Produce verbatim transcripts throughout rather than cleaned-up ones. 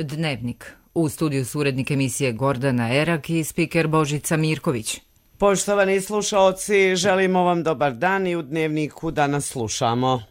Dnevnik. U studiju su urednik emisije Gordana Erak i spiker Božica Mirković. Poštovani slušaoci, želimo vam dobar dan i u Dnevniku danas slušamo.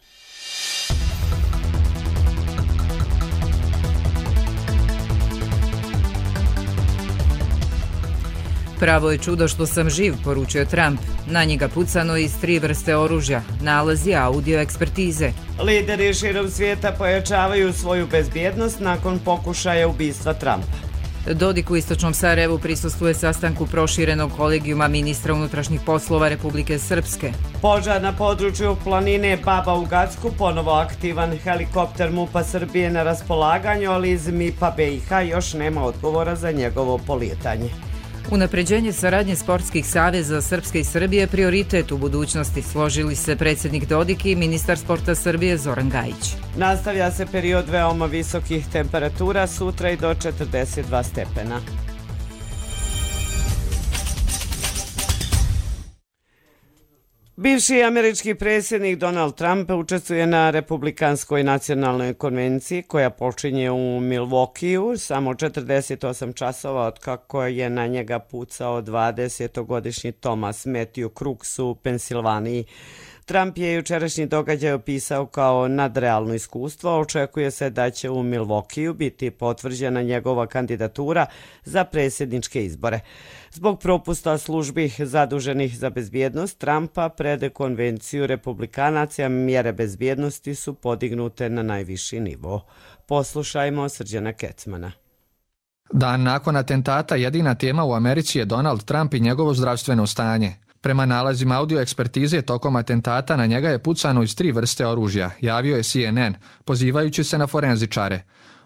Pravo je čudo što sam živ, poručio Trump. Na njega pucano iz tri vrste oružja, nalazi audio ekspertize. Lideri širom svijeta pojačavaju svoju bezbjednost nakon pokušaja ubistva Trumpa. Dodik u istočnom Sarajevu prisustvuje sastanku proširenog kolegijuma ministra unutrašnjih poslova Republike Srpske. Požar na području planine Baba u Gacku, ponovo aktivan helikopter MUP-a Srbije na raspolaganju, ali iz MIP-a B i H još nema odgovora za njegovo polijetanje. Unapređenje saradnje sportskih saveza Srpske i Srbije prioritet u budućnosti, složili se predsjednik Dodik i ministar sporta Srbije Zoran Gajić. Nastavlja se period veoma visokih temperatura, sutra i do četrdeset dva stepena. Bivši američki predsjednik Donald Trump učestvuje na Republikanskoj nacionalnoj konvenciji koja počinje u Milwaukeeu samo četrdeset osam časova od kako je na njega pucao dvadesetogodišnji Thomas Matthew Crooks u Pensilvaniji. Trump je jučerašnji događaj opisao kao nadrealno iskustvo. Očekuje se da će u Milwaukeeu biti potvrđena njegova kandidatura za predsjedničke izbore. Zbog propusta službi zaduženih za bezbjednost Trumpa pred konvenciju republikanaca mjere bezbjednosti su podignute na najviši nivo. Poslušajmo Srđana Kecmana. Dan nakon atentata jedina tema u Americi je Donald Trump i njegovo zdravstveno stanje. Prema nalazima audio ekspertize tokom atentata na njega je pucano iz tri vrste oružja, javio je C N N, pozivajući se na forenzičare.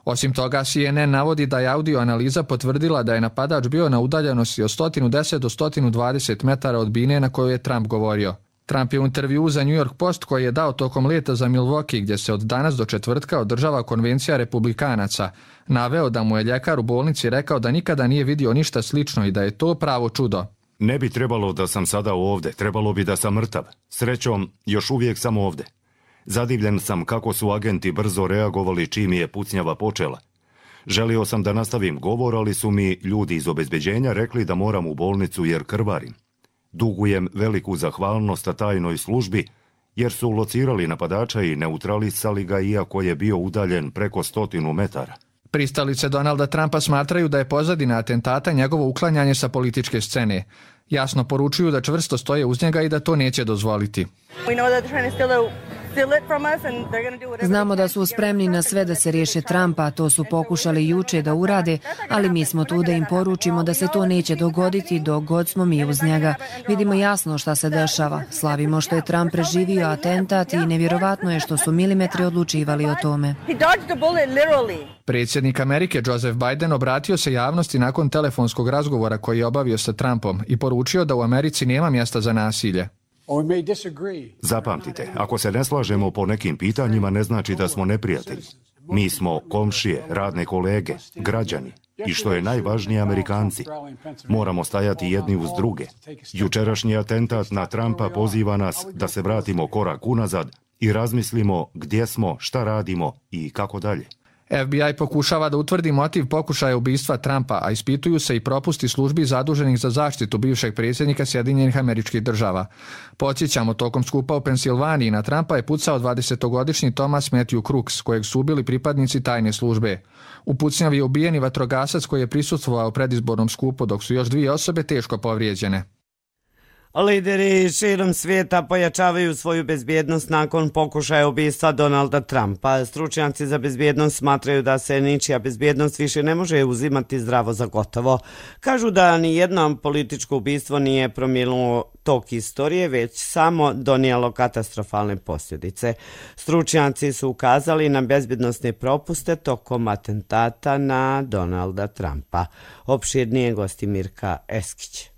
Osim toga, C N N navodi da je audio analiza potvrdila da je napadač bio na udaljenosti od sto deset do sto dvadeset metara od bine na kojoj je Trump govorio. Trump je u intervjuu za New York Post koji je dao tokom leta za Milwaukee, gdje se od danas do četvrtka održava konvencija republikanaca, naveo da mu je ljekar u bolnici rekao da nikada nije vidio ništa slično i da je to pravo čudo. Ne bi trebalo da sam sada ovdje, trebalo bi da sam mrtav. Srećom, još uvijek sam ovdje. Zadivljen sam kako su agenti brzo reagovali čim je pucnjava počela. Želio sam da nastavim govor, ali su mi ljudi iz obezbeđenja rekli da moram u bolnicu jer krvarim. Dugujem veliku zahvalnost tajnoj službi jer su locirali napadača i neutralisali ga iako je bio udaljen preko stotinu metara. Pristalice Donalda Trumpa smatraju da je pozadina atentata njegovo uklanjanje sa političke scene. Jasno poručuju da čvrsto stoje uz njega i da to neće dozvoliti. Znamo da su spremni na sve da se riješe Trumpa, to su pokušali juče da urade, ali mi smo tu da im poručimo da se to neće dogoditi dok god smo mi uz njega. Vidimo jasno šta se dešava. Slavimo što je Trump preživio atentat i nevjerovatno je što su milimetri odlučivali o tome. Predsjednik Amerike Joseph Biden obratio se javnosti nakon telefonskog razgovora koji je obavio sa Trumpom i poručio da u Americi nema mjesta za nasilje. Zapamtite, ako se ne slažemo po nekim pitanjima ne znači da smo neprijatelji. Mi smo komšije, radne kolege, građani i što je najvažnije Amerikanci. Moramo stajati jedni uz druge. Jučerašnji atentat na Trumpa poziva nas da se vratimo korak unazad i razmislimo gdje smo, šta radimo i kako dalje. F B I pokušava da utvrdi motiv pokušaja ubistva Trumpa, a ispituju se i propusti službi zaduženih za zaštitu bivšeg predsjednika Sjedinjenih Američkih Država. Podsjećamo, tokom skupa u Pensilvaniji na Trumpa je pucao dvadesetogodišnji Thomas Matthew Crooks, kojeg su ubili pripadnici tajne službe. U pucnjavi je ubijen i vatrogasac koji je prisustvovao predizbornom skupu, dok su još dvije osobe teško povrijeđene. Lideri širom svijeta pojačavaju svoju bezbjednost nakon pokušaja ubistva Donalda Trumpa. Stručnjaci za bezbjednost smatraju da se ničija bezbjednost više ne može uzimati zdravo za gotovo. Kažu da ni jedno političko ubistvo nije promijenilo tok istorije, već samo donijelo katastrofalne posljedice. Stručnjaci su ukazali na bezbjednosne propuste tokom atentata na Donalda Trumpa. Opširnije gosti Mirka Eskić.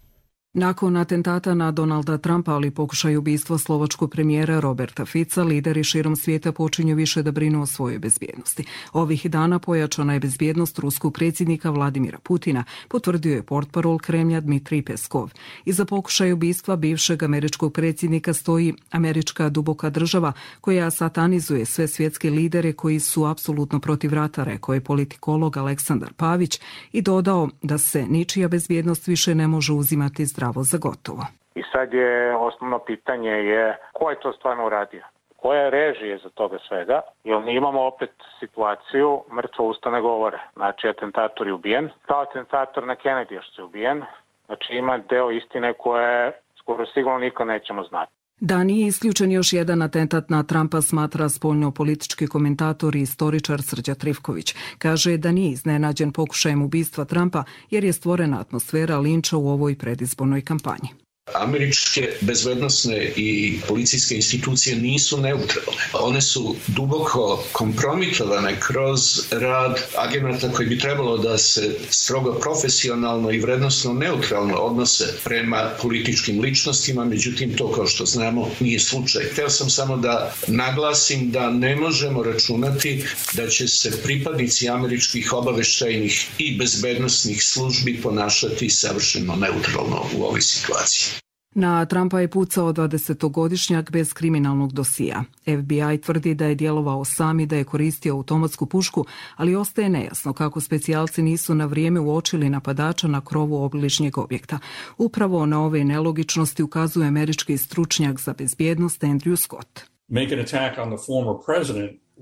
Nakon atentata na Donalda Trumpa, ali pokušaj ubistva slovačkog premijera Roberta Fica, lideri širom svijeta počinju više da brinu o svojoj bezbjednosti. Ovih dana pojačana je bezbjednost ruskog predsjednika Vladimira Putina, potvrdio je portparol Kremlja Dmitrij Peskov. Iza pokušaja ubistva bivšeg američkog predsjednika stoji američka duboka država koja satanizuje sve svjetske lidere koji su apsolutno protiv rata, rekao je politikolog Aleksandar Pavić i dodao da se ničija bezbjednost više ne može uzimati zdravo za gotovo. I sad je osnovno pitanje je ko je to stvarno uradio? Koja je režija za toga svega? Jer mi imamo opet situaciju mrtvo usta ne govore. Znači, atentator je ubijen. Kao atentator na Kennedy što je ubijen. Znači, ima deo istine koje skoro sigurno niko nećemo znati. Da nije isključen još jedan atentat na Trumpa, smatra spoljno-politički komentator i istoričar Srđa Trifković. Kaže da nije iznenađen pokušajem ubistva Trumpa jer je stvorena atmosfera linča u ovoj predizbornoj kampanji. Američke bezbednosne i policijske institucije nisu neutralne. One su duboko kompromitovane kroz rad agenata koji bi trebalo da se strogo profesionalno i vrednosno neutralno odnose prema političkim ličnostima, međutim to, kao što znamo, nije slučaj. Hteo sam samo da naglasim da ne možemo računati da će se pripadnici američkih obaveštajnih i bezbednosnih službi ponašati savršeno neutralno u ovoj situaciji. Na Trumpa je pucao dvadesetogodišnjak bez kriminalnog dosija. F B I tvrdi da je djelovao sam i da je koristio automatsku pušku, ali ostaje nejasno kako specijalci nisu na vrijeme uočili napadača na krovu obližnjeg objekta. Upravo na ove nelogičnosti ukazuje američki stručnjak za bezbjednost Andrew Scott.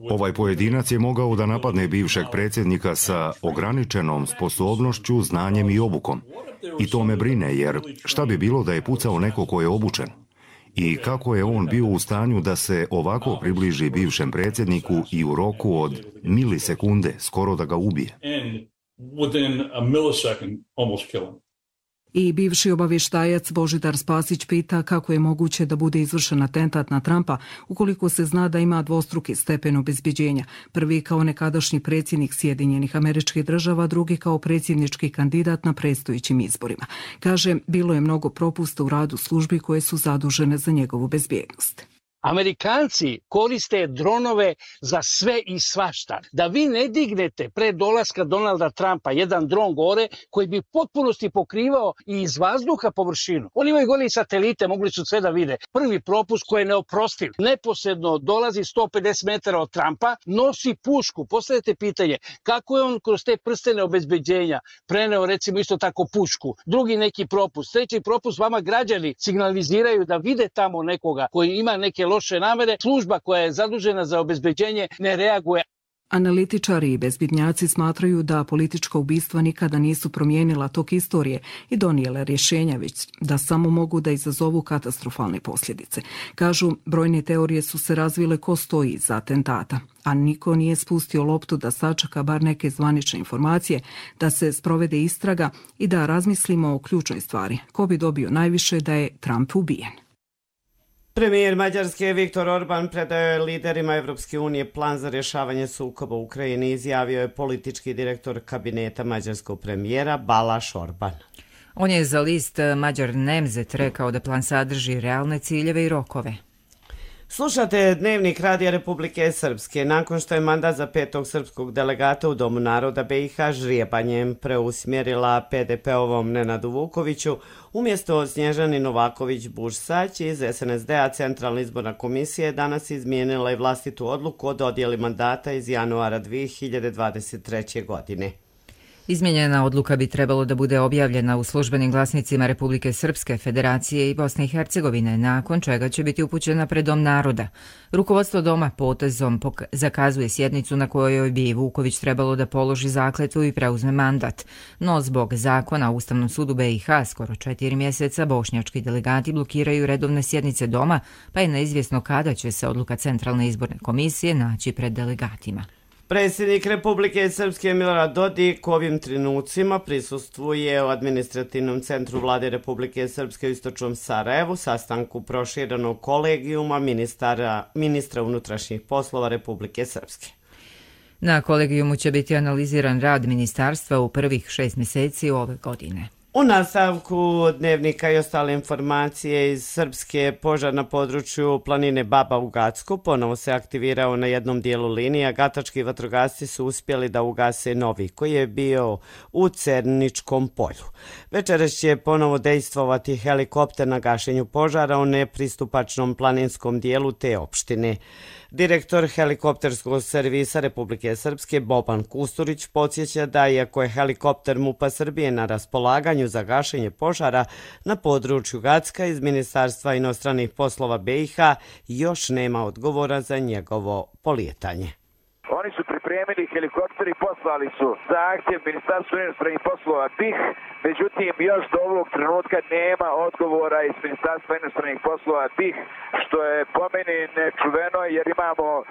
Ovaj pojedinac je mogao da napadne bivšeg predsjednika sa ograničenom sposobnošću, znanjem i obukom. I to me brine, jer šta bi bilo da je pucao neko ko je obučen? I kako je on bio u stanju da se ovako približi bivšem predsjedniku i u roku od milisekunde skoro da ga ubije? I bivši obavještajac Božidar Spasić pita kako je moguće da bude izvršen atentat na Trumpa ukoliko se zna da ima dvostruki stepen obezbeđenja. Prvi kao nekadašnji predsjednik Sjedinjenih Američkih Država, drugi kao predsjednički kandidat na predstojećim izborima. Kaže, bilo je mnogo propusta u radu službi koje su zadužene za njegovu bezbjednost. Amerikanci koriste dronove za sve i svašta. Da vi ne dignete pre dolaska Donalda Trumpa jedan dron gore koji bi potpunosti pokrivao i iz vazduha površinu. Oni imaju gore i satelite, mogli su sve da vide. Prvi propust koji je neoprostiv. Neposredno dolazi sto pedeset metara od Trumpa, nosi pušku. Postavite pitanje kako je on kroz te prstene obezbeđenja preneo recimo isto tako pušku. Drugi neki propust. Treći propust, vama građani signaliziraju da vide tamo nekoga koji ima neke loše namere, služba koja je zadužena za obezbeđenje ne reaguje. Analitičari i bezbednjaci smatraju da politička ubistva nikada nisu promijenila tok istorije i donijele rješenja, već da samo mogu da izazovu katastrofalne posljedice. Kažu, brojne teorije su se razvile ko stoji iza atentata, a niko nije spustio loptu da sačeka bar neke zvanične informacije, da se sprovede istraga i da razmislimo o ključnoj stvari. Ko bi dobio najviše da je Trump ubijen? Premijer Mađarske Viktor Orban predao je liderima Evropske unije plan za rješavanje sukoba u Ukrajini, izjavio je politički direktor kabineta mađarskog premijera Balázs Orban. On je za list Mađar Nemzet rekao da plan sadrži realne ciljeve i rokove. Slušate Dnevnik Radija Republike Srpske. Nakon što je mandat za petog srpskog delegata u Domu naroda B i H žrijebanjem preusmjerila P D P-ovom Nenadu Vukoviću, umjesto Snježani Novaković-Bušsać iz S N S D-a Centralna izborna komisija je danas izmijenila i vlastitu odluku o dodjeli mandata iz januara dvije hiljade dvadeset treće. godine. Izmijenjena odluka bi trebalo da bude objavljena u službenim glasnicima Republike Srpske, Federacije i Bosne i Hercegovine, nakon čega će biti upućena pred Dom naroda. Rukovodstvo Doma potezom zakazuje sjednicu na kojoj bi Vuković trebalo da položi zakletvu i preuzme mandat. No zbog zakona o Ustavnom sudu B i H skoro četiri mjeseca bošnjački delegati blokiraju redovne sjednice Doma, pa je neizvjesno kada će se odluka Centralne izborne komisije naći pred delegatima. Predsjednik Republike Srpske Milorad Dodik u ovim trenucima prisustvuje u administrativnom centru Vlade Republike Srpske u istočnom Sarajevu sastanku proširenog kolegijuma ministara, ministra unutrašnjih poslova Republike Srpske. Na kolegijumu će biti analiziran rad ministarstva u prvih šest mjeseci ove godine. U nastavku dnevnika i ostale informacije iz Srpske, požar na području planine Baba u Gacku ponovo se aktivirao na jednom dijelu linija. Gatački vatrogasci su uspjeli da ugase novi koji je bio u Cerničkom polju. Večeras će ponovo dejstvovati helikopter na gašenju požara u nepristupačnom planinskom dijelu te opštine. Direktor helikopterskog servisa Republike Srpske Boban Kusturić podsjeća da iako je helikopter MUP-a Srbije na raspolaganju za gašenje požara na području Gacka, iz Ministarstva inostranih poslova B i H još nema odgovora za njegovo polijetanje. Oni su pripremili helikopter i poslali su zahtjev Ministarstvu inostranih poslova B i H, međutim još do ovog trenutka nema odgovora iz Ministarstva inostranih poslova B i H, što je po meni nečuveno jer imamo e,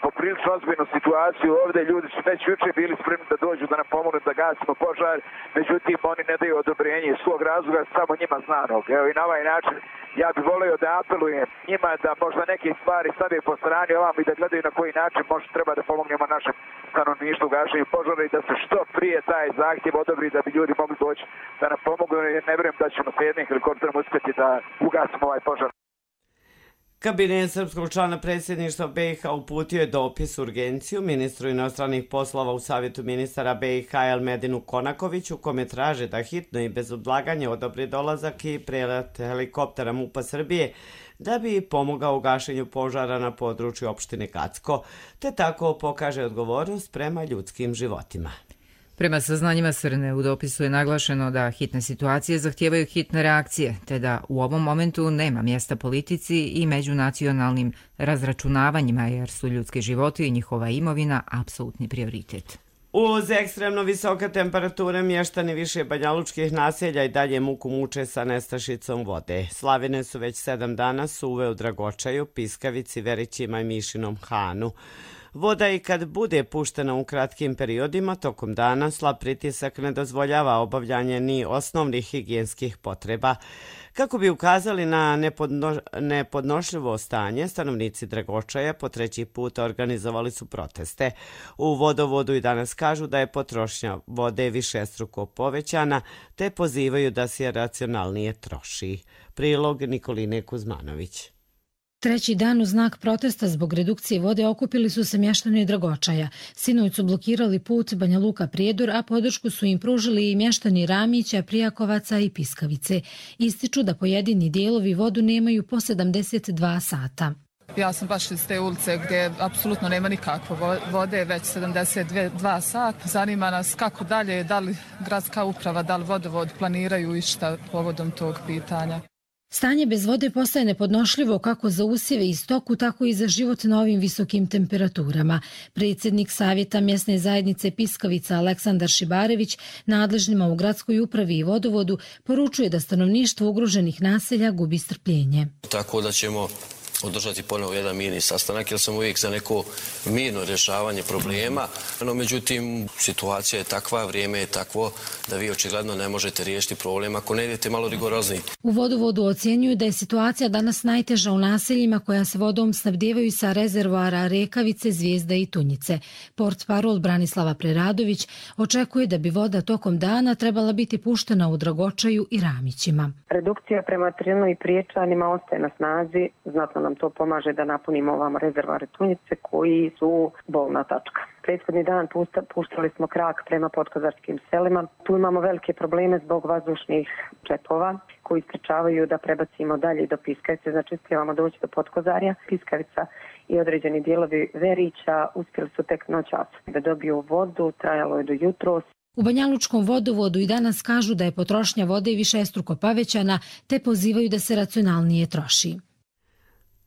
poprilično ozbiljnu situaciju ovdje. Ljudi su već juče bili spremni da dođu da nam pomognu da gasimo požar, međutim oni ne daju odobrenje iz svog razloga, samo njima znanog. Evo i na ovaj način ja bih volio da apelujem njima da možda neke stvari stave po strani ovam i da gledaju na koji način možda treba da pomognemo našem stanovništvu u gašenju požara i da se što prije taj zahtjev odobri da bi ljudi mogli doći da nam pomognu, jer ne vjerujem da ćemo sa jednim helikopterom uspjeti da ugasimo ovaj požar. Kabinet srpskog člana predsjedništva B i H uputio je dopis urgenciju ministru inostranih poslova u Savjetu ministara B i H Elmedinu Konakoviću, kome traže da hitno i bez odlaganja odobri dolazak i prelet helikoptera MUP-a Srbije da bi pomogao u gašenju požara na području opštine Gacko, te tako pokaže odgovornost prema ljudskim životima. Prema saznanjima Srne, u dopisu je naglašeno da hitne situacije zahtijevaju hitne reakcije, te da u ovom momentu nema mjesta politici i međunacionalnim razračunavanjima, jer su ljudski životi i njihova imovina apsolutni prioritet. Uz ekstremno visoke temperature, mještani više banjalučkih naselja i dalje muku muče sa nestašicom vode. Slavine su već sedam dana suve u Dragočaju, Piskavici, Verićima i Mišinom Hanu. Voda i kad bude puštena u kratkim periodima tokom dana, slab pritisak ne dozvoljava obavljanje ni osnovnih higijenskih potreba. Kako bi ukazali na nepodno, nepodnošljivo stanje, stanovnici Dragočaja po treći put organizovali su proteste. U vodovodu i danas kažu da je potrošnja vode višestruko povećana, te pozivaju da se racionalnije troši. Prilog Nikoline Kuzmanović. Treći dan u znak protesta zbog redukcije vode okupili su se mještani Dragočaja. Sinoć su blokirali put Banja Luka Prijedor, a podršku su im pružili i mještani Ramića, Prijakovaca i Piskavice. Ističu da pojedini dijelovi vodu nemaju po sedamdeset dva sata. Ja sam baš iz te ulice gdje apsolutno nema nikakve vode, već sedamdeset dva sata. Zanima nas kako dalje, da li gradska uprava, da li vodovod planiraju išta povodom tog pitanja. Stanje bez vode postaje nepodnošljivo kako za usjeve i stoku, tako i za život na ovim visokim temperaturama. Predsjednik Savjeta mjesne zajednice Piskavica Aleksandar Šibarević nadležnima u gradskoj upravi i vodovodu poručuje da stanovništvo ugroženih naselja gubi strpljenje. Tako da ćemo održati ponovo jedan mirni sastanak, jer sam uvijek za neko mirno rješavanje problema. No, međutim, situacija je takva, vrijeme je takvo da vi očigledno ne možete riješiti problem ako ne idete malo rigorozniji. U vodovodu ocjenjuju da je situacija danas najteža u naseljima koja se vodom snabdijevaju sa rezervoara Rekavice, Zvijezda i Tunjice. Portparol Branislava Preradović očekuje da bi voda tokom dana trebala biti puštena u Dragočaju i Ramićima. Redukcija prema Trinu i Priječanima ostaje na snazi, znatno nam to pomaže da napunimo ovamo rezervoare Tunjice koji su bolna tačka. Prethodni dan puštali smo krak prema podkozarskim selima. Tu imamo velike probleme zbog vazdušnih čepova koji sprečavaju da prebacimo dalje do Piskavice. Znači, uspijevamo doći do Podkozarja. Piskavica i određeni dijelovi Verića uspjeli su tek noćas da dobiju vodu, trajalo je do jutros. U Banjalučkom vodovodu i danas kažu da je potrošnja vode višestruko povećana, te pozivaju da se racionalnije troši.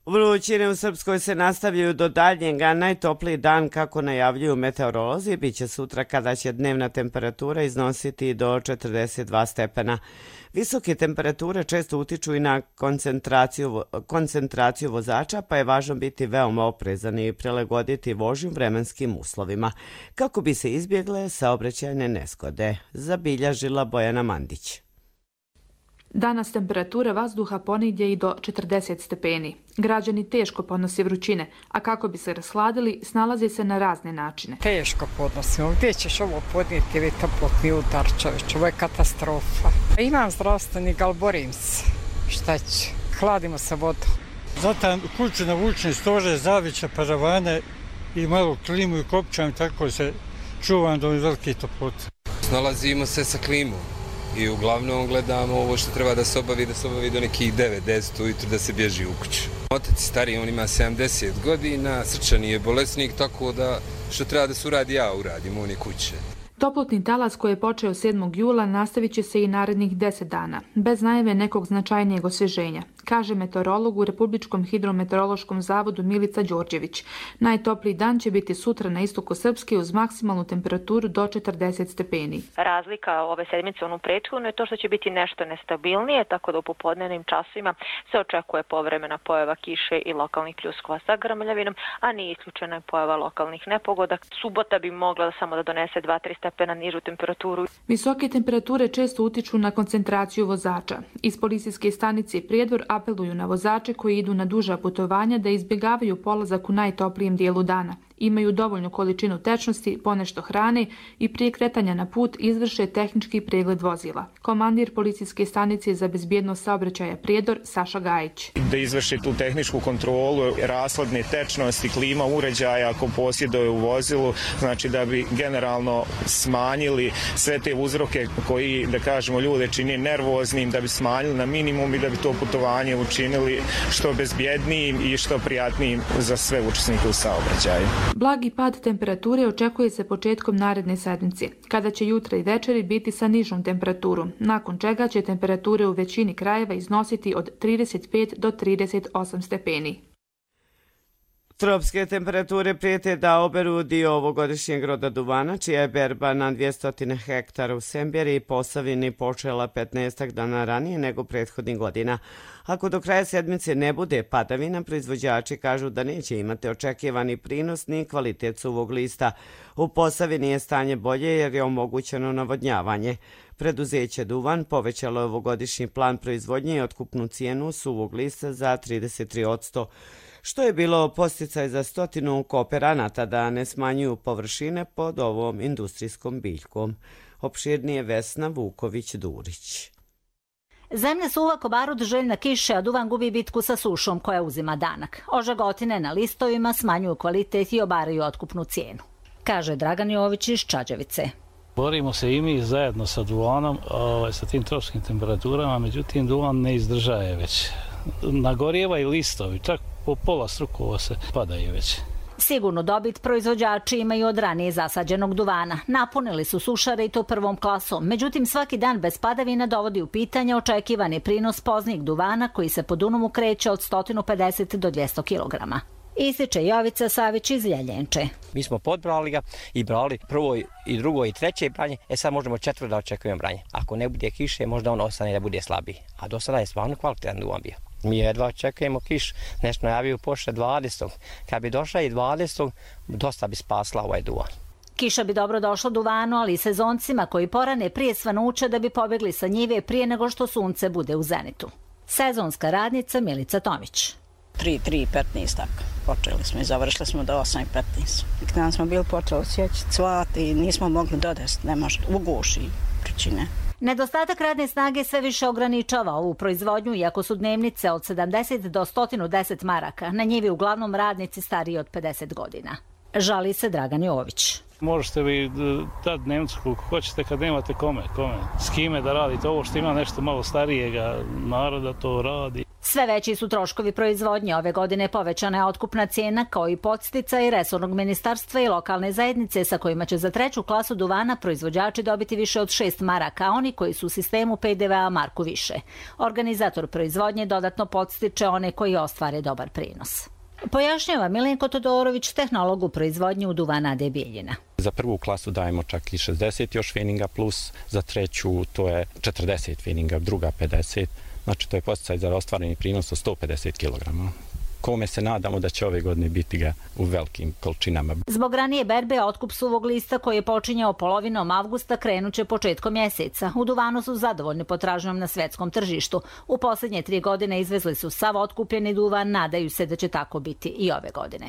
Vrućine u Srpskoj se nastavljaju do daljnjega. Najtopliji dan, kako najavljuju meteorolozi, bit će sutra kada će dnevna temperatura iznositi do četrdeset dva stepena. Visoke temperature često utiču i na koncentraciju, koncentraciju vozača, pa je važno biti veoma oprezan i prilagoditi vožnju vremenskim uslovima, kako bi se izbjegle saobraćajne nezgode, zabilježila Bojana Mandić. Danas temperatura vazduha ponegdje i do četrdeset stepeni. Građani teško podnose vrućine, a kako bi se rashladili, snalaze se na razne načine. Teško podnosimo. Gdje ćeš ovo podnijeti, vi toplotni udar, čovječ, ovo je katastrofa. Imam zdravstvenik, ali borim se. Šta će? Hladimo se vodom. Zatim kuću navučni stože, zavića, paravane i malo klimu i kopčam, tako se čuvam do velike toplote. Snalazimo se sa klimom i uglavnom gledamo ovo što treba da se obavi, da se obavi do nekih devet deset ujutru da se bježi u kuću. Otac je stariji, on ima sedamdeset godina, srčani je bolesnik, tako da što treba da se uradi, ja uradim, on je kuće. Toplotni talas koji je počeo sedmog jula nastavit će se i narednih deset dana, bez najave nekog značajnijeg osvježenja, kaže meteorolog u Republičkom hidrometeorološkom zavodu Milica Đorđević. Najtopliji dan će biti sutra na istoku Srpske uz maksimalnu temperaturu do četrdeset stepeni. Razlika ove sedmice onu prethodnu je to što će biti nešto nestabilnije, tako da u popodnevnim časovima se očekuje povremena pojava kiše i lokalnih pljuskova sa grmljavinom, a nije isključena pojava lokalnih nepogoda. Subota bi mogla samo da donese dva do tri stepena nižu temperaturu. Visoke temperature često utiču na koncentraciju vozača. Iz policijske stanice Prijedor apeluju na vozače koji idu na duža putovanja da izbjegavaju polazak u najtoplijem dijelu dana. Imaju dovoljnu količinu tečnosti, ponešto hrane i prije kretanja na put izvrše tehnički pregled vozila. Komandir policijske stanice za bezbjednost saobraćaja Prijedor Saša Gajić. Da izvrši tu tehničku kontrolu rashodne tečnosti, klima uređaja ako posjeduje u vozilu, znači da bi generalno smanjili sve te uzroke koji, da kažemo, ljude čini nervoznim, da bi smanjili na minimum i da bi to putovanje učinili što bezbjednijim i što prijatnijim za sve učesnike u saobraćaju. Blagi pad temperature očekuje se početkom naredne sedmice, kada će jutra i večeri biti sa nižom temperaturom, nakon čega će temperature u većini krajeva iznositi od trideset pet do trideset osam stepeni. Tropske temperature prijete da oberu dio ovogodišnjeg roda duvana, čija je berba na dvjesto hektara u Semberi i Posavini počela petnaestak dana ranije nego prethodnih godina. Ako do kraja sedmice ne bude padavina, proizvođači kažu da neće imati očekivani prinos ni kvalitet suvog lista. U Posavini je stanje bolje jer je omogućeno navodnjavanje. Preduzeće Duvan povećalo je ovogodišnji plan proizvodnje i otkupnu cijenu suvog lista za trideset tri posto, što je bilo posticaj za stotinu kooperanata da ne smanjuju površine pod ovom industrijskom biljkom. Opširnije Vesna Vuković-Durić. Zemlja suva ko barut, željna kiše, a duvan gubi bitku sa sušom koja uzima danak. Ožagotine na listovima smanjuju kvalitet i obaraju otkupnu cijenu, kaže Dragan Jović iz Čađavice. Borimo se i mi zajedno sa duvanom, ovaj, sa tim tropskim temperaturama, međutim duvan ne izdržaje već. Nagorjeva i listovi, čak po pola strukova se padaju već. Sigurno dobit proizvođači imaju od ranije zasađenog duvana. Napunili su sušare i to prvom klasom. Međutim, svaki dan bez padavina dovodi u pitanje očekivani prinos poznih duvana koji se po Dunavu kreće od sto pedeset do dvjesto kilograma. Ističe Jovica Savić iz Ljeljenče. Mi smo podbrali ga i brali prvo i drugo i treće branje, e sad možemo četvrto da očekujemo branje. Ako ne bude kiše, možda on ostane da bude slabiji. A do sada je stvarno kvalitetan duvan bio. Mi jedva očekujemo kiš, nešto najaviju pošle dvadesetog. Kad bi došla i dvadesetog, dosta bi spasla ovaj duvan. Kiša bi dobro došla duvanu, ali i sezoncima koji porane prije svanuća da bi pobjegli sa njive prije nego što sunce bude u zenitu. Sezonska radnica Milica Tomić. tri, tri i petnaest tako. Počeli smo i završili smo do osam i petnaest. Kada smo bili počeli sjeći cvat i nismo mogli dodesti, ne može, uguši vrućine. Nedostatak radne snage sve više ograničava ovu proizvodnju, iako su dnevnice od sedamdeset do sto deset maraka. Na njivi uglavnom radnici stariji od pedeset godina. Žali se Dragan Jović. Možete vi dati dnevnicu koliko hoćete kad nemate kome, kome, s kime da radite. Ovo što ima nešto malo starijega naroda to radi. Sve veći su troškovi proizvodnje. Ove godine povećana je otkupna cijena kao i podsticaj resornog ministarstva i lokalne zajednice sa kojima će za treću klasu duvana proizvođači dobiti više od šest maraka, a oni koji su u sistemu P D V A marku više. Organizator proizvodnje dodatno podstiče one koji ostvare dobar prinos. Pojašnjava Milenko Todorović, tehnolog u proizvodnji u duvana A D Bijeljina. Za prvu klasu dajemo čak i šezdeset još feninga plus, za treću to je četrdeset feninga, druga pedeset. Znači to je podsticaj za ostvareni prinos od sto pedeset kilograma. kome se nadamo da će ove godine biti ga u velikim količinama. Zbog ranije berbe otkup suvog lista koji je počinjao polovinom avgusta krenuće početkom mjeseca. U duvanu su zadovoljni potražnjom na svetskom tržištu. U posljednje tri godine izvezli su sav otkupljeni duvan, nadaju se da će tako biti i ove godine.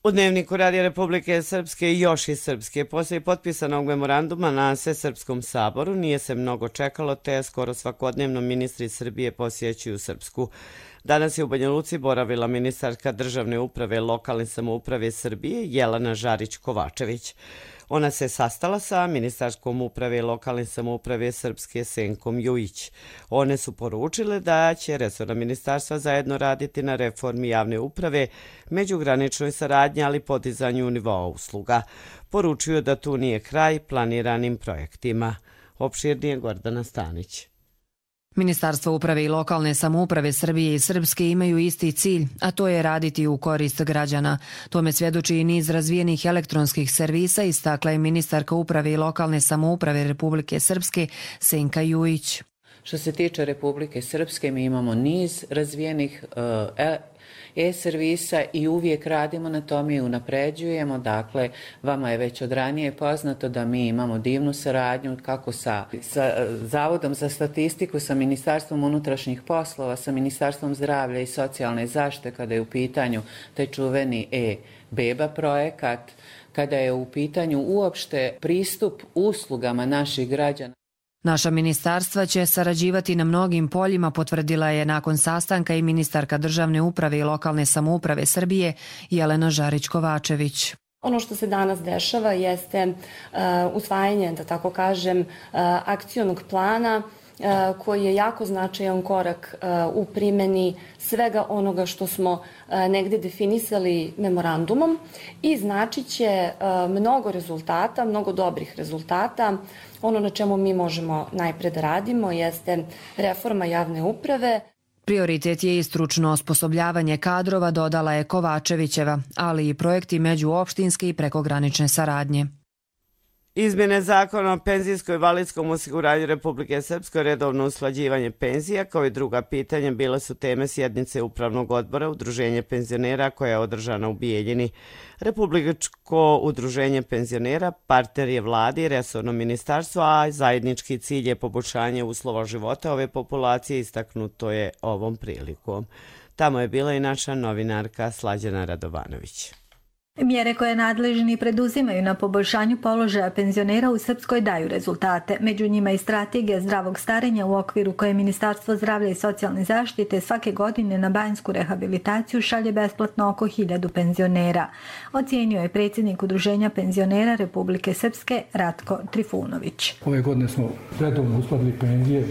U Dnevniku Radija Republike Srpske i još iz Srpske, poslije potpisanog memoranduma na Svesrpskom saboru, nije se mnogo čekalo, te skoro svakodnevno ministri Srbije posjećuju Srpsku. Danas je u Banja Luci boravila ministarka državne uprave i lokalne samouprave Srbije Jelena Žarić-Kovačević. Ona se sastala sa ministarskom uprave i lokalne samouprave Srpske Senkom Jujić. One su poručile da će resorna ministarstva zajedno raditi na reformi javne uprave, međugraničnoj saradnji, ali podizanju nivoa usluga. Poručuju da tu nije kraj planiranim projektima. Opširnije Gordana Stanić. Ministarstvo uprave i lokalne samouprave Srbije i Srpske imaju isti cilj, a to je raditi u korist građana. Tome svjedoči i niz razvijenih elektronskih servisa, istakla je ministarka uprave i lokalne samouprave Republike Srpske Senka Jujić. Što se tiče Republike Srpske, mi imamo niz razvijenih uh, e-servisa i uvijek radimo na tome i unapređujemo. Dakle, vama je već od ranije poznato da mi imamo divnu saradnju kako sa, sa Zavodom za statistiku, sa Ministarstvom unutrašnjih poslova, sa Ministarstvom zdravlja i socijalne zaštite kada je u pitanju taj čuveni e-beba projekat, kada je u pitanju uopšte pristup uslugama naših građana. Naša ministarstva će sarađivati na mnogim poljima, potvrdila je nakon sastanka i ministarka državne uprave i lokalne samouprave Srbije Jelena Žarić-Kovačević. Ono što se danas dešava jeste uh, usvajanje, da tako kažem, uh, akcionog plana koji je jako značajan korak u primjeni svega onoga što smo negdje definisali memorandumom i značit će mnogo rezultata, mnogo dobrih rezultata. Ono na čemu mi možemo najpred da radimo jeste reforma javne uprave. Prioritet je i stručno osposobljavanje kadrova, dodala je Kovačevićeva, ali i projekti međuopštinske i prekogranične saradnje. Izmjene zakona o penzijskom i invalidskom osiguranju Republike Srpske, redovno usklađivanje penzija, kao i druga pitanja, bile su teme sjednice Upravnog odbora Udruženja penzionera koja je održana u Bijeljini. Republičko udruženje penzionera partner je vladi i resorno ministarstvo, a zajednički cilj je poboljšanje uslova života ove populacije, istaknuto je ovom prilikom. Tamo je bila i naša novinarka Slađana Radovanović. Mjere koje nadležni preduzimaju na poboljšanju položaja penzionera u Srpskoj daju rezultate. Među njima i strategija zdravog starenja u okviru koje Ministarstvo zdravlja i socijalne zaštite svake godine na banjsku rehabilitaciju šalje besplatno oko hiljadu penzionera. Ocijenio je predsjednik Udruženja penzionera Republike Srpske Ratko Trifunović. Ove godine smo redovno uskladili penzije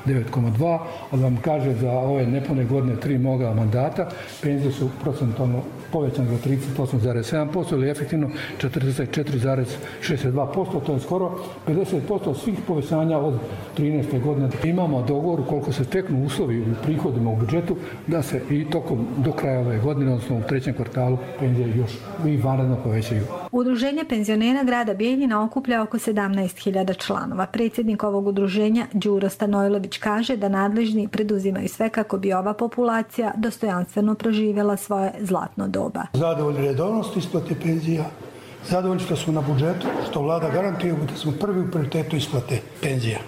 devet zarez dva, a da vam kaže za ove nepune godine tri moga mandata penzije su procentalno povećane za trideset osam zarez sedam posto ili efektivno četrdeset četiri zarez šezdeset dva posto, to je skoro pedeset posto svih povećanja od trinaeste godine. Imamo dogovor koliko se steknu uslovi u prihodima u budžetu da se i tokom do kraja ove godine, odnosno u trećem kvartalu, penzije još i vanredno povećaju. Udruženje penzionera grada Bijeljina okuplja oko sedamnaest hiljada članova. Predsjednik ovog udruženja Đuro Stanojlović kaže da nadležni preduzimaju sve kako bi ova populacija dostojanstveno proživjela svoje zlatno doba. Zadovoljni redovnost isplate penzija, zadovoljni što smo na budžetu, što vlada garantuje da smo prvi u prioritetu isplate penzija.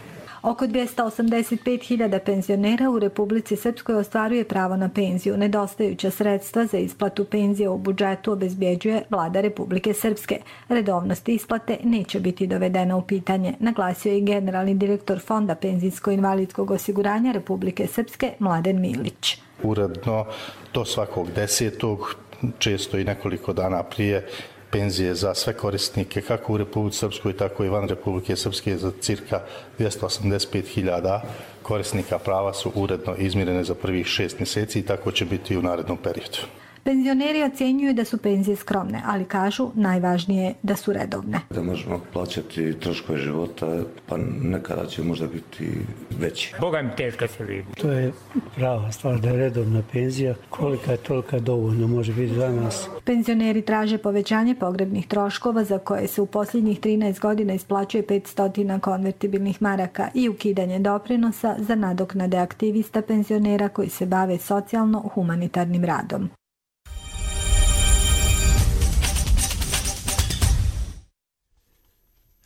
Oko dvjesto osamdeset pet hiljada penzionera u Republici Srpskoj ostvaruje pravo na penziju. Nedostajuća sredstva za isplatu penzije u budžetu obezbjeđuje vlada Republike Srpske. Redovnost isplate neće biti dovedena u pitanje, naglasio je i generalni direktor Fonda penzijsko-invalidskog osiguranja Republike Srpske Mladen Milić. Uredno do svakog desetog, često i nekoliko dana prije, penzije za sve korisnike, kako u Republici Srpskoj, tako i van Republike Srpske, za cirka dvjesto osamdeset pet hiljada korisnika prava su uredno izmirene za prvih šest mjeseci i tako će biti i u narednom periodu. Penzioneri ocjenjuju da su penzije skromne, ali kažu najvažnije da su redovne. Da možemo plaćati troškove života, pa nekada će možda biti veći. Boga mi teško se vidi. To je prava stvar da je redovna penzija, kolika je tolika dovoljno može biti za nas. Penzioneri traže povećanje pogrebnih troškova za koje se u posljednjih trinaest godina isplaćuje petsto konvertibilnih maraka i ukidanje doprinosa za nadoknade aktivista penzionera koji se bave socijalno-humanitarnim radom.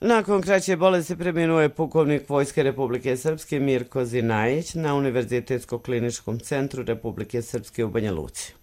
Nakon kraće bolesti preminuo je pukovnik Vojske Republike Srpske Mirko Zinajić na Univerzitetsko-kliničkom centru Republike Srpske u Banja Luci.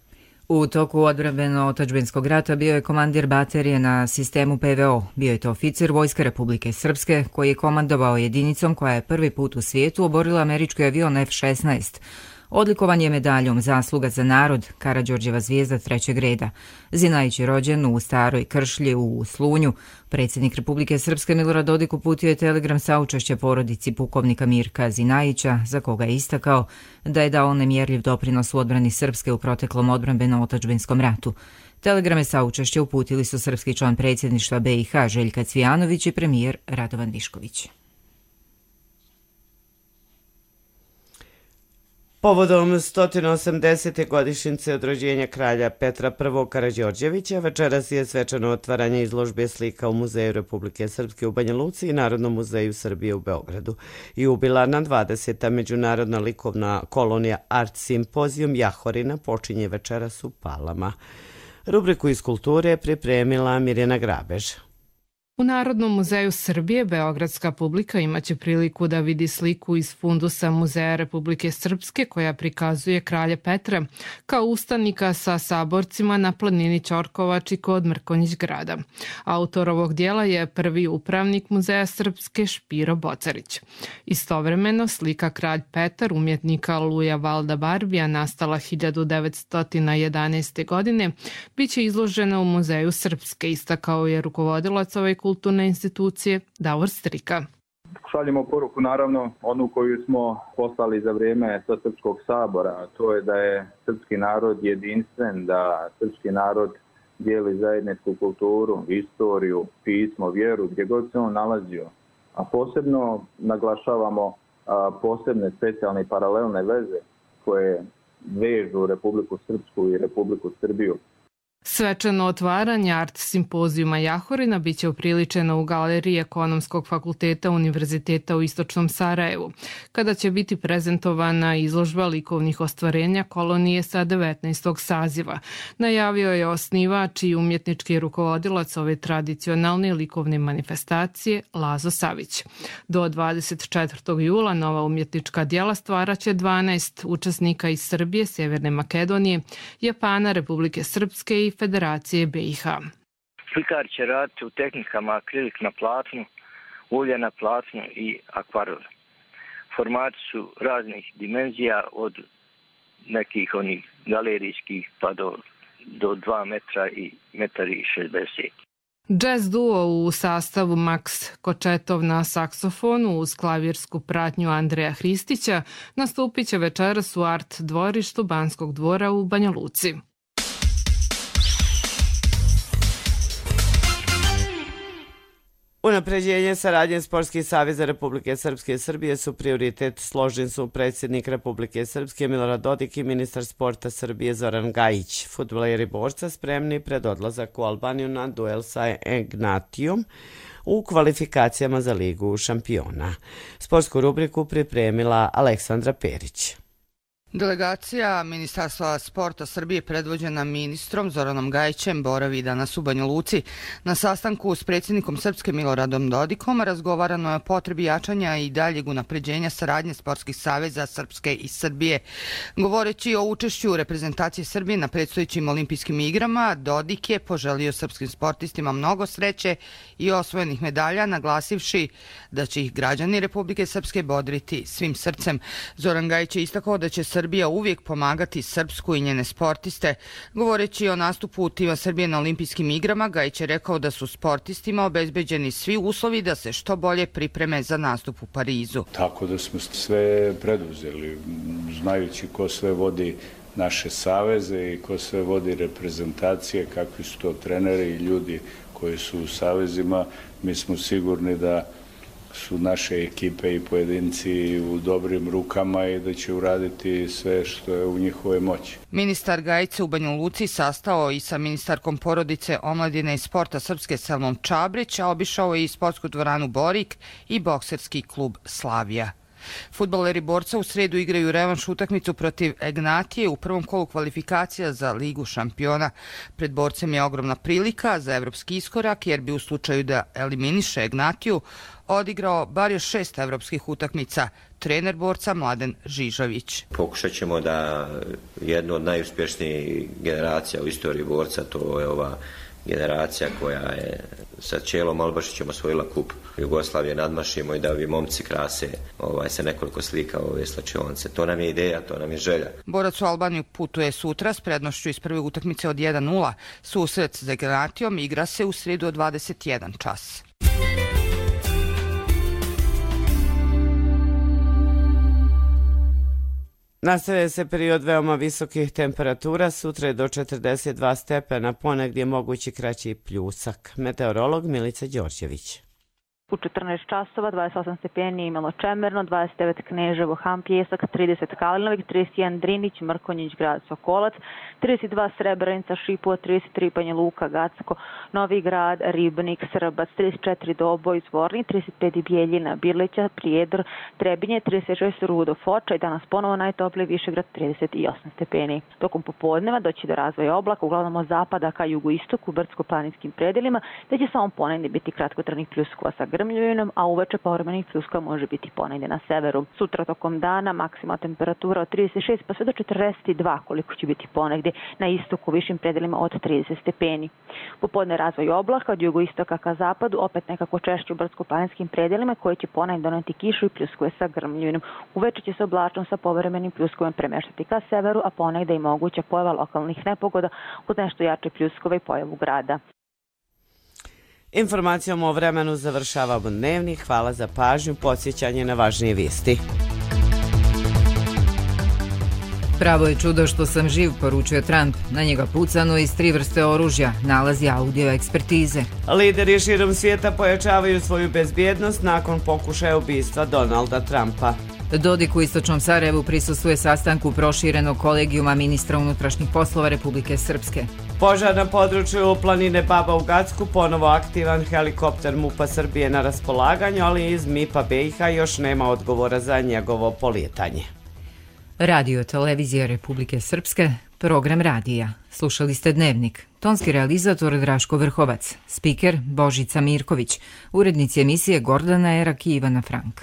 U toku odbrambeno-otadžbinskog rata bio je komandir baterije na sistemu P V O. Bio je to oficir Vojske Republike Srpske koji je komandovao jedinicom koja je prvi put u svijetu oborila američki avion F šesnaest. Odlikovan je medaljom Zasluga za narod, Karađorđeva zvijezda trećeg reda. Zinajić je rođen u Staroj Kršlji u Slunju. Predsjednik Republike Srpske Milorad Dodik uputio je telegram saučešća porodici pukovnika Mirka Zinajića, za koga je istakao da je dao nemjerljiv doprinos u odbrani Srpske u proteklom odbrambeno-otadžbinskom ratu. Telegrame saučešća uputili su srpski član predsjedništva B i H Željka Cvijanović i premijer Radovan Višković. Povodom sto osamdesete godišnjice od rođenja kralja Petra I. Karađorđevića večeras je svečano otvaranje izložbe slika u Muzeju Republike Srpske u Banja Luci i Narodnom muzeju Srbije u Beogradu. Jubilarna dvadeseta međunarodna likovna kolonija Art Simpozijum Jahorina počinje večeras u Palama. Rubriku iz kulture je pripremila Mirjana Grabež. U Narodnom muzeju Srbije beogradska publika imaće priliku da vidi sliku iz fundusa Muzeja Republike Srpske koja prikazuje kralja Petra kao ustanika sa saborcima na planini Ćorkovači kod Mrkonjić grada. Autor ovog dijela je prvi upravnik Muzeja Srpske Špiro Bocarić. Istovremeno slika Kralj Petar umjetnika Luja Valda Barbija nastala hiljadu devetsto jedanaeste. godine biće izložena u Muzeju Srpske, istakao je rukovodilac ove kulturne institucije Davor Strika. Šaljemo poruku, naravno, onu koju smo poslali za vrijeme Srpskog sabora, a to je da je srpski narod jedinstven, da srpski narod dijeli zajedničku kulturu, istoriju, pismo, vjeru, gdje god se on nalazio. A posebno naglašavamo a, posebne specijalne i paralelne veze koje vežu Republiku Srpsku i Republiku Srbiju. Svečano otvaranje Art Simpozijuma Jahorina biće upriličeno u galeriji Ekonomskog fakulteta Univerziteta u Istočnom Sarajevu, kada će biti prezentovana izložba likovnih ostvarenja kolonije sa devetnaestog saziva. Najavio je osnivač i umjetnički rukovodilac ove tradicionalne likovne manifestacije Lazo Savić. Do dvadeset četvrtog jula nova umjetnička djela stvaraće dvanaest učesnika iz Srbije, Sjeverne Makedonije, Japana, Republike Srpske i Federacije B i H. Slikar će raditi u tehnikama akrilik na platnu, ulje na platnu i akvarel. Formati su raznih dimenzija, od nekih onih galerijskih pa do, do dva metra i metar i šezdeset. Jazz duo u sastavu Max Kočetov na saksofonu uz klavirsku pratnju Andreja Hristića nastupit će večeras u Art dvorištu Banskog dvora u Banja Luci. Unapređenje saradnje Sportskih saveza Republike Srpske i Srbije su prioritet, složni su predsjednik Republike Srpske Milorad Dodik i ministar sporta Srbije Zoran Gajić. Fudbaleri borca spremni pred odlazak u Albaniju na duel sa Ignatijom u kvalifikacijama za Ligu šampiona. Sportsku rubriku pripremila Aleksandra Perić. Delegacija Ministarstva sporta Srbije predvođena ministrom Zoranom Gajićem boravi danas u Banja Luci. Na sastanku s predsjednikom Srpske Miloradom Dodikom razgovarano je o potrebi jačanja i daljeg unapređenja saradnje sportskih saveza Srpske i Srbije. Govoreći o učešću reprezentacije Srbije na predstojećim olimpijskim igrama, Dodik je poželio srpskim sportistima mnogo sreće i osvojenih medalja, naglasivši da će ih građani Republike Srpske bodriti svim srcem. Zoran Gajić je istakao da će Srbija uvijek pomagati Srpsku i njene sportiste. Govoreći o nastupu tima Srbije na olimpijskim igrama, Gajić je rekao da su sportistima obezbeđeni svi uslovi da se što bolje pripreme za nastup u Parizu. Tako da smo sve preduzeli, znajući ko sve vodi naše saveze i ko sve vodi reprezentacije, kakvi su to treneri i ljudi koji su u savezima. Mi smo sigurni da su naše ekipe i pojedinci u dobrim rukama i da će uraditi sve što je u njihovoj moći. Ministar Gajić se u Banja Luci sastao i sa ministarkom porodice, omladine i sporta Srpske Selmom Čabrić, a obišao je i sportsku dvoranu Borik i bokserski klub Slavija. Fudbaleri Borca u sredu igraju revanš utakmicu protiv Egnatije u prvom kolu kvalifikacija za Ligu šampiona. Pred Borcem je ogromna prilika za evropski iskorak, jer bi u slučaju da eliminiše Egnatiju odigrao bar još šest evropskih utakmica. Trener Borca Mladen Žižović. Pokušat ćemo da jednu od najuspješnijih generacija u istoriji Borca, to je ova generacija koja je sa Čelom Albašićem osvojila kup Jugoslavije, nadmašimo i da ovi momci krase ovaj, se nekoliko slika ove slačionice. To nam je ideja, to nam je želja. Borac u Albaniju putuje sutra s prednošću iz prve utakmice od jedan nula. Susret s Egnatijom igra se u sredu od dvadeset jedan čas. Nastavlja se period veoma visokih temperatura, sutra je do četrdeset dva stepena, ponegdje mogući kraći pljusak. Meteorolog Milica Đorđević. U četrnaest časova, dvadeset osam stepeni imalo Čemerno, dvadeset devet Kneževo, Ham Pjesak, trideset Kalinovik, trideset jedan Drinić, Mrkonjić, grad Sokolac, trideset dva Srebrenica, Šipova, trideset tri Banja Luka, Gacko, Novi Grad, Ribnik, Srbac, trideset četiri Doboj, Zvornik, trideset pet Bijeljina, Birlića, Prijedor, Trebinje, trideset šest Rudo, Foča i danas ponovo najtopliji Višegrad, trideset osam stepeni. Tokom popodneva doći do razvoja oblaka, uglavnom od zapada ka jugoistoku, brdsko-planinskim predelima, da će samo ponegdje biti kratkotrajnih pljuskova sa grmljuvinom, a uveče povremenih pljuska može biti ponegdje na severu. Sutra tokom dana maksimalna temperatura od trideset šest pa sve do četrdeset dva, koliko će biti ponegdje na istoku, višim predelima od trideset stepeni. Popodne razvoj oblaka od jugoistoka ka zapadu, opet nekako češće u brdsko-planinskim predelima koji će ponegdje doneti kišu i pljuskove sa grmljuvinom. Uveče će se oblačnost sa povremenim pljuskovima premeštati ka severu, a ponegdje i moguća pojava lokalnih nepogoda uz nešto jače pljuskove i pojavu grada. Informacijom o vremenu završavamo dnevnik. Hvala za pažnju, podsjećanje na važnije vijesti. Pravo je čudo što sam živ, poručuje Trump. Na njega pucano iz tri vrste oružja, nalazi audio ekspertize. Lideri širom svijeta pojačavaju svoju bezbjednost nakon pokušaja ubistva Donalda Trumpa. Dodik u istočnom Sarajevu prisustvuje sastanku proširenog kolegijuma ministra unutrašnjih poslova Republike Srpske. Požar na području planine Baba u Gacku, ponovo aktivan helikopter MUP-a Srbije na raspolaganju, ali iz MIP-a B i H još nema odgovora za njegovo polijetanje. Radio televizija Republike Srpske, program radija. Slušali ste Dnevnik. Tonski realizator Draško Vrhovac, spiker Božica Mirković, urednici emisije Gordana Erak i Ivana Frank.